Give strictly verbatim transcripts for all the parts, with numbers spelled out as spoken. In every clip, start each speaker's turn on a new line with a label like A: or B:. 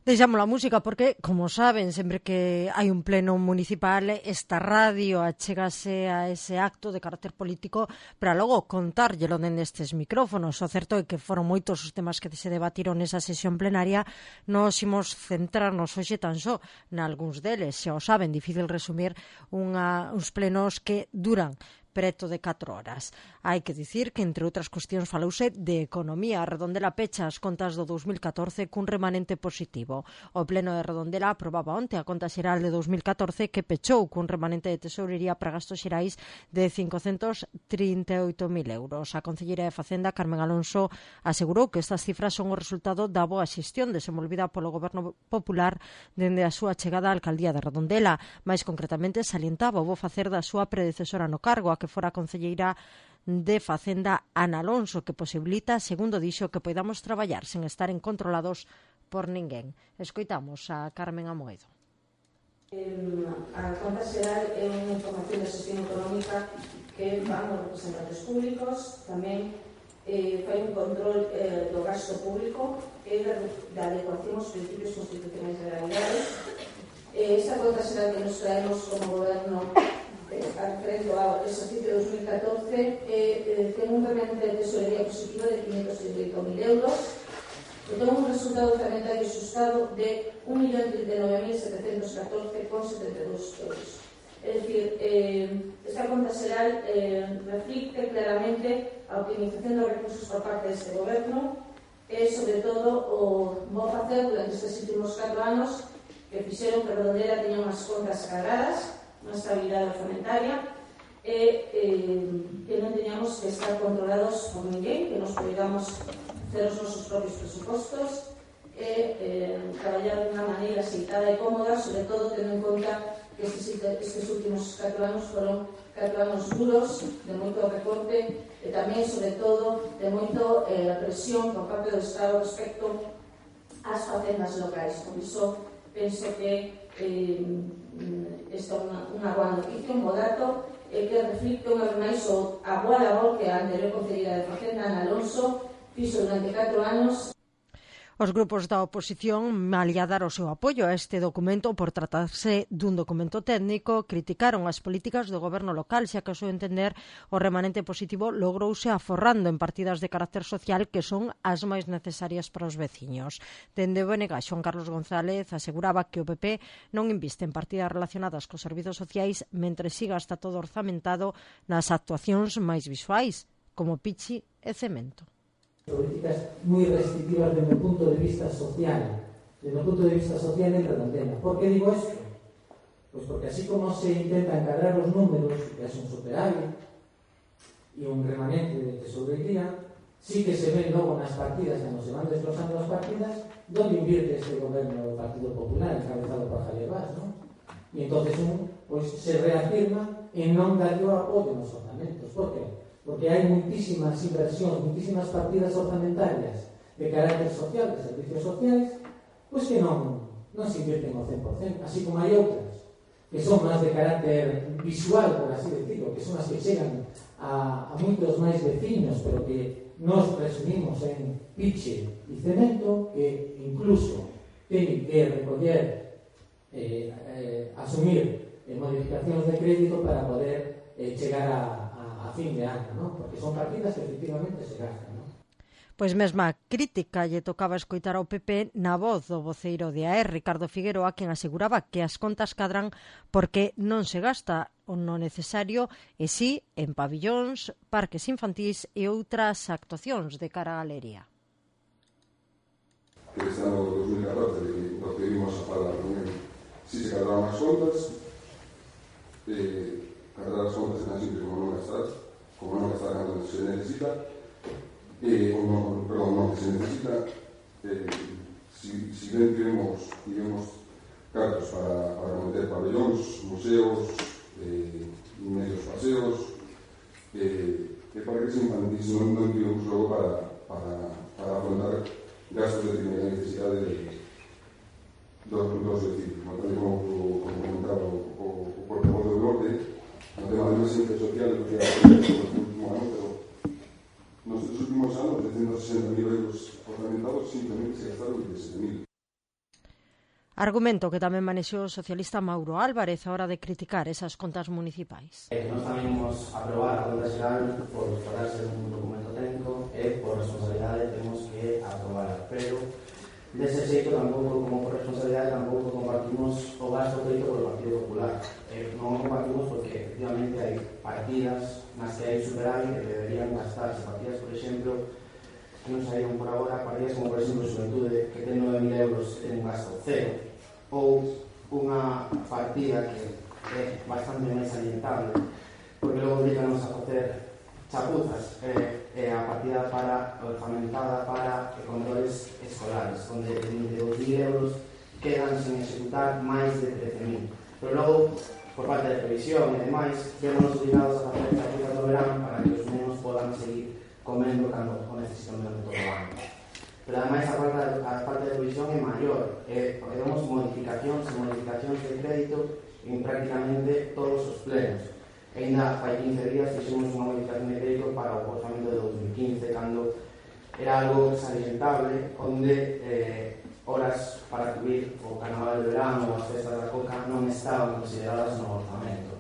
A: Deixamos a música porque, como saben, sempre que hai un pleno municipal, esta radio achégase a ese acto de carácter político para logo contárllelo dende estes micrófonos. O certo é que foron moitos os temas que se debatiron nesa sesión plenaria. Nos imos centrarnos hoxe tan só nalgúns deles. Xa o saben, difícil resumir unha, uns plenos que duran preto de catro horas. Hai que dicir que, entre outras cuestións, falouse de economía. A Redondela pecha as contas do dous mil catorce cun remanente positivo. O pleno de Redondela aprobaba onte a conta xeral de dous mil catorce que pechou cun remanente de tesourería para gastos xerais de cincocentos trinta e oito mil euros. A concelleira de Facenda, Carmen Alonso, asegurou que estas cifras son o resultado da boa xestión desenvolvida polo Goberno Popular dende a súa chegada á alcaldía de Redondela. Mais concretamente, salientaba o bo facer da súa predecesora no cargo, a que fora a concelleira de Facenda, Ana Alonso, que posibilita, segundo dixo, que podamos traballar sen estaren controlados por ninguén. Escoitamos a Carmen Amoedo.
B: Eh, a conta xeral é unha información de xestión económica que van os representantes públicos, tamén eh, fai un control eh, do gasto público e da, da adecuación aos principios constitucionais de realidades. Eh, esta conta xeral que nos traemos como goberno referendo ao exercicio dos mil catorce eh, eh, ten un remanente de tesorería positivo de quinhentos trinta e oito mil euros e ten un resultado orzamentario xustado de un millón trinta e nove mil setecentos catorce con setenta e dous euros. É dicir, eh, esta conta xeral eh, reflicte claramente a optimización dos recursos por parte deste goberno e, sobre todo, o bo facer durante estes últimos catro anos que fixeron que Redondela teña unhas contas cargadas, unha estabilidade orzamentaria e eh, que non teñamos que estar controlados por ninguén, que nos podamos facer os nosos propios presupostos e eh, traballar de unha maneira aceitada e cómoda, sobre todo tendo en conta que estes, estes últimos catro anos foron catro anos duros, de moito recorte e tamén, sobre todo, de moito eh, presión por parte do Estado respecto ás facendas locais. Por iso, penso que eh, esta é unha, unha boa noticia, un bo dato, e que reflicte unha vez máis a boa labor que a anterior concelleira de Facenda, Ana Alonso, fixo durante catro anos.
A: Os grupos da oposición, malia dar o seu apoio a este documento por tratarse dun documento técnico, criticaron as políticas do goberno local, xa que, ao seu entender, o remanente positivo logrouse aforrando en partidas de carácter social que son as máis necesarias para os veciños. Dende o B N G, Xoán Carlos González aseguraba que o P P non inviste en partidas relacionadas cos servizos sociais mentre siga hasta todo orzamentado nas actuacións máis visuais, como pichi e cemento.
C: Políticas muy restrictivas desde el punto de vista social, desde el punto de vista social en Redondela. ¿Por qué digo esto? Pues porque así como se intenta encargar los números, que es un superávit y un remanente de tesorería, sí que se ven luego unas partidas, cuando se van desglosando las partidas, donde invierte este gobierno del Partido Popular, encabezado por Javier Bas, ¿no? Y entonces uno pues, se reafirma en no dar yo apoyo en los ordenamientos. ¿Por qué? Porque hay muchísimas inversiones, muchísimas partidas orzamentarias de carácter social, de servicios sociales, pues que no, no se invierten al cien por cien, así como hay otras que son más de carácter visual, por así decirlo, que son las que llegan a, a muchos más vecinos, pero que nos resumimos en piche y cemento, que incluso tienen que recoger, eh, eh, asumir eh, modificaciones de crédito para poder eh, llegar a a fin de ano, ¿no? Porque son partidas que efectivamente se gastan, ¿no?
A: Pois mesma crítica lle tocaba escoitar ao P P na voz do voceiro de A E, Ricardo Figueroa, quen aseguraba que as contas cadran porque non se gasta o no necesario e si en pabillóns, parques infantís e outras actuacións de cara á galería.
D: Este ano dos mil catorce, do que vimos a falar, si se cadraban as contas, eh, cadrar as contas tan simples como non gastar, como non gastar cando se necesita, eh, ou non, perdón, non que se necesita, eh, si, si ben tivemos, tivemos cartos para, para meter pabellóns, museos, eh, medios paseos, eh, e para que se infantis non, non tivemos logo para, para, para afrontar gastos de primeira necesidade de, dos, dos vecinos. Como, como comentaba o, o, o portavoz do norte, no tema de emergencia social, lo que ha hecho en el último año, pero en los últimos años, de ciento sesenta mil euros ornamentados, simplemente se gastaron diecisiete mil.
A: Argumento que tamén manexou o socialista Mauro Álvarez a hora de criticar esas contas municipais.
E: Eh, nós tamén imos aprobar a conta xeral por tratarse dun documento técnico e por responsabilidade temos que aprobar, pero dese xeito tampouco, como por responsabilidade, tampouco compartimos o gasto feito polo Partido Popular. Eh, non o compartimos porque efectivamente hai partidas nas que hai superávit que deberían gastarse, partidas, por exemplo, que non saíron por agora, partidas como, por exemplo, Xuventude, que ten nove mil euros e ten un gasto cero, ou unha partida que é bastante máis alientable, porque logo obliganos a facer chapuzas, é eh, eh, a partida para orçamentada para controles escolares, onde de vinte e dous mil euros quedan sen executar máis de trece mil. Pero logo, por parte de previsión e demais, vemos obligados a facer chapuzas do verano para que os nenos podan seguir comendo cando o necesitan durante todo o ano. Pero ademais a parte, a parte de previsión é maior, eh, porque vemos modificacións e modificacións de crédito en prácticamente todos os plenos. E ainda fai quince días fixemos unha modificación de crédito para o orzamento de dos mil quince, cando era algo salientable, onde eh, horas para cubrir o carnaval de verano ou as festas da Coca non estaban consideradas no orzamento.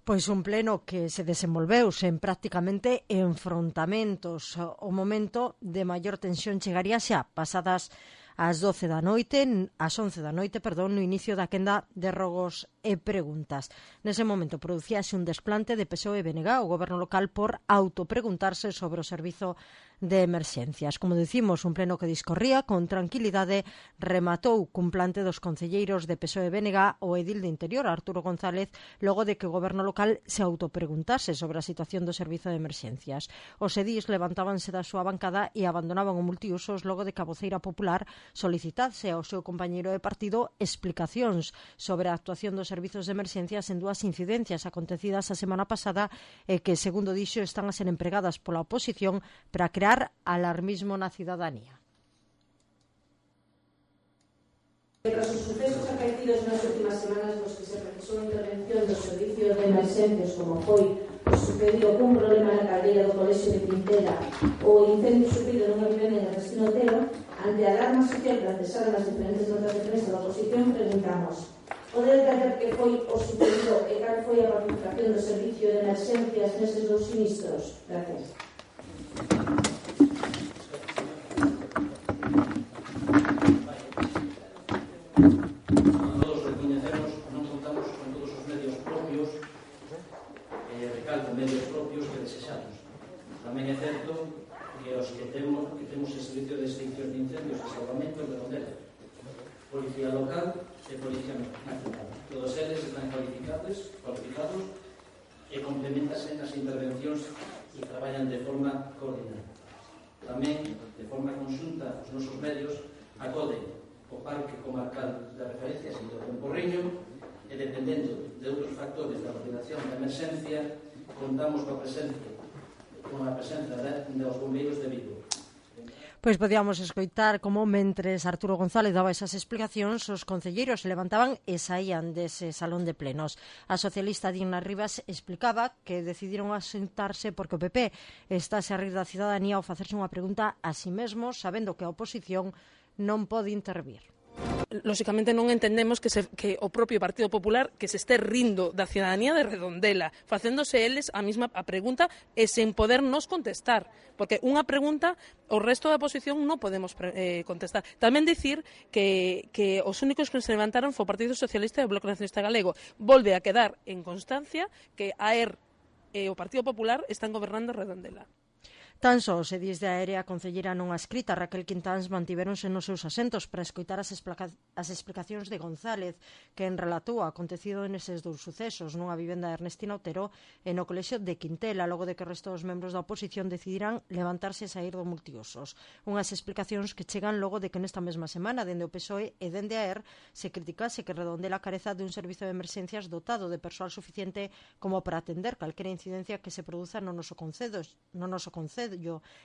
A: Pois un pleno que se desenvolveu sen prácticamente enfrontamentos. O momento de maior tensión chegaría xa pasadas ás doce da noite, ás once da noite, perdón, no inicio da quenda de rogos e preguntas. Nese momento producíase un desplante de P S O E e B N G, o goberno local, por autopreguntarse sobre o servizo de emerxencias. Como dicimos, un pleno que discorría con tranquilidade, rematou cun plante dos concelleiros de P S O E e B N G o edil de Interior, Arturo González, logo de que o goberno local se autopreguntase sobre a situación do servizo de emerxencias. Os edís levantábanse da súa bancada e abandonaban o multiusos logo de que a voceira popular solicitase ao seu compañeiro de partido explicacións sobre a actuación dos servizos de emerxencias en dúas incidencias acontecidas a semana pasada e que, segundo dixo, están a ser empregadas pola oposición para crear alarmismo na cidadanía.
B: Tras os sucesos acaecidos nas últimas semanas nos que se precisou a intervención do servicio de emerxencias, como foi o sucedido cun problema na caldeira do Colexio de Quintela ou o incendio sufrido nunha vivenda en Restino Otero, ante a alarma social planteada nas diferentes notas de prensa da oposición, preguntamos: pode detallar que foi o sucedido e cal foi a participación do servicio de emerxencias nestes dous sinistros? Gracias.
F: Todos recoñecemos, non contamos con todos os medios propios, eh, recalco, medios propios que desexamos. Tamén é certo que os que temos, que temos el servicio de extinción de incendios e salvamento de Rondela, Policía Local e Policía Nacional. Todos eles están cualificados, cualificados e complementanse nas intervencións e traballan de forma coordinada. Tamén, de forma conxunta, os nosos medios acoden o Parque Comarcal de Referencia Sinto Porriño e, dependendo de outros factores da ordenación da emerxencia, contamos coa presencia con a presenza dos bombeiros de Vigo.
A: Pois podíamos escoitar como, mentres Arturo González daba esas explicacións, os concelleiros se levantaban e saían dese salón de plenos. A socialista Dina Rivas explicaba que decidiron asentarse porque o P P estáse a rir da cidadanía ao facerse unha pregunta a si mesmo, sabendo que a oposición non pode intervir.
G: Lóxicamente non entendemos que, se, que o propio Partido Popular que se este rindo da cidadanía de Redondela, facéndose eles a mesma a pregunta e sen poder nos contestar, porque unha pregunta o resto da oposición non podemos eh, contestar. Tamén dicir que, que os únicos que se levantaron foi o Partido Socialista e o Bloque Nacionalista Galego. Volve a quedar en constancia que a ERR e o Partido Popular están gobernando Redondela.
A: Tan só os edís de Aérea, a concelleira non adscrita Raquel Quintáns, mantiveronse nos seus asentos para escoitar as, as explicacións de González, que en relatou o acontecido neses dous sucesos nunha vivenda de Ernestina Otero e no Colexio de Quintela, logo de que o resto dos membros da oposición decidirán levantarse e sair do multiusos. Unhas explicacións que chegan logo de que nesta mesma semana, dende o P S O E e dende a E R, se criticase que Redondela careza de un servizo de emerxencias dotado de persoal suficiente como para atender calquera incidencia que se produza no noso concedo, no noso concedo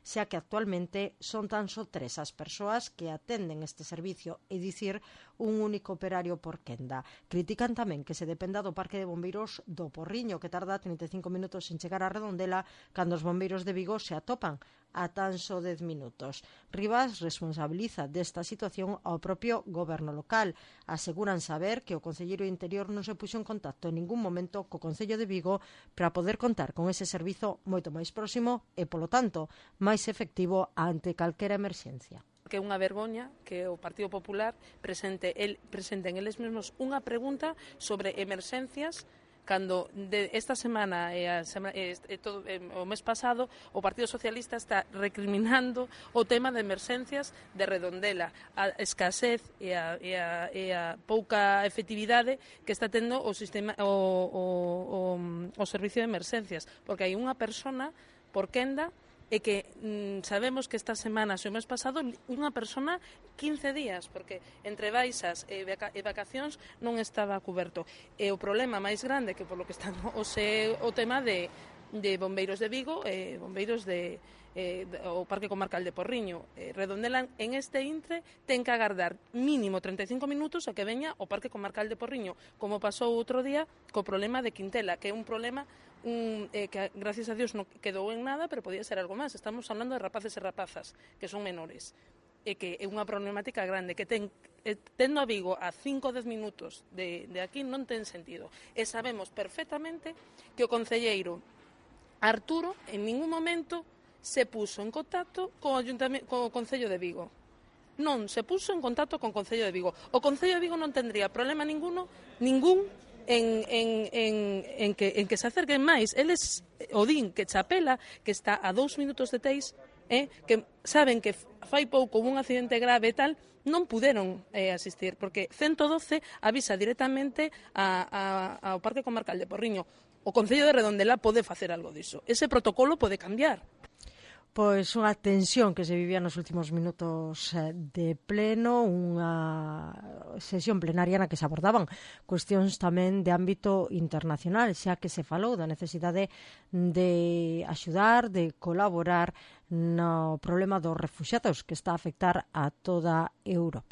A: xa que actualmente son tan só tres as persoas que atenden este servicio, e dicir un único operario por quenda. Critican tamén que se dependa do Parque de Bombeiros do Porriño, que tarda trinta e cinco minutos en chegar a Redondela, cando os bombeiros de Vigo se atopan a tan só dez minutos. Rivas responsabiliza desta situación ao propio goberno local. Aseguran saber que o Concelleiro de Interior non se puxo en contacto en ningún momento co Concello de Vigo para poder contar con ese servizo moito máis próximo e, polo tanto, máis efectivo ante calquera emerxencia.
G: Que é unha vergoña que o Partido Popular presente el, presenten eles mesmos unha pregunta sobre emerxencias cando de esta semana e, a semana, e, e todo, e, o mes pasado o Partido Socialista está recriminando o tema de emerxencias de Redondela, a escasez e a, e a, e a pouca efectividade que está tendo o sistema o, o, o, o servicio de emerxencias, porque hai unha persona por quenda e que mm, sabemos que esta semana, o mes pasado, unha persona quince días, porque entre baixas e, vaca e vacacións non estaba cuberto. E o problema máis grande que por lo que está o, se, o tema de, de bombeiros de Vigo e bombeiros de, eh, de o Parque Comarcal de Porriño. Eh, Redondela en este intre ten que agardar mínimo treinta e cinco minutos a que veña o Parque Comarcal de Porriño, como pasou outro día co problema de Quintela, que é un problema Un, eh, que gracias a Dios non quedou en nada, pero podía ser algo máis. Estamos hablando de rapaces e rapazas que son menores e que é unha problemática grande que ten, eh, tendo a Vigo a cinco ou dez minutos de, de aquí non ten sentido, e sabemos perfectamente que o concelleiro Arturo en ningún momento se puso en contacto co, co Concello de Vigo. Non se puso en contacto con o Concello de Vigo. O Concello de Vigo non tendría problema ninguno, ningún En, en, en, en, que, en que se acerquen máis. Eles o din que Chapela, que está a dous minutos de Teis, eh, que saben que fai pouco un accidente grave e tal, non puderon eh, asistir, porque ciento doce avisa directamente a, a, ao Parque Comarcal de Porriño. O Concello de Redondela pode facer algo diso. Ese protocolo pode cambiar.
A: Pois unha tensión que se vivía nos últimos minutos de pleno, unha sesión plenaria na que se abordaban cuestións tamén de ámbito internacional, xa que se falou da necesidade de axudar, de colaborar no problema dos refuxiados que está a afectar a toda Europa.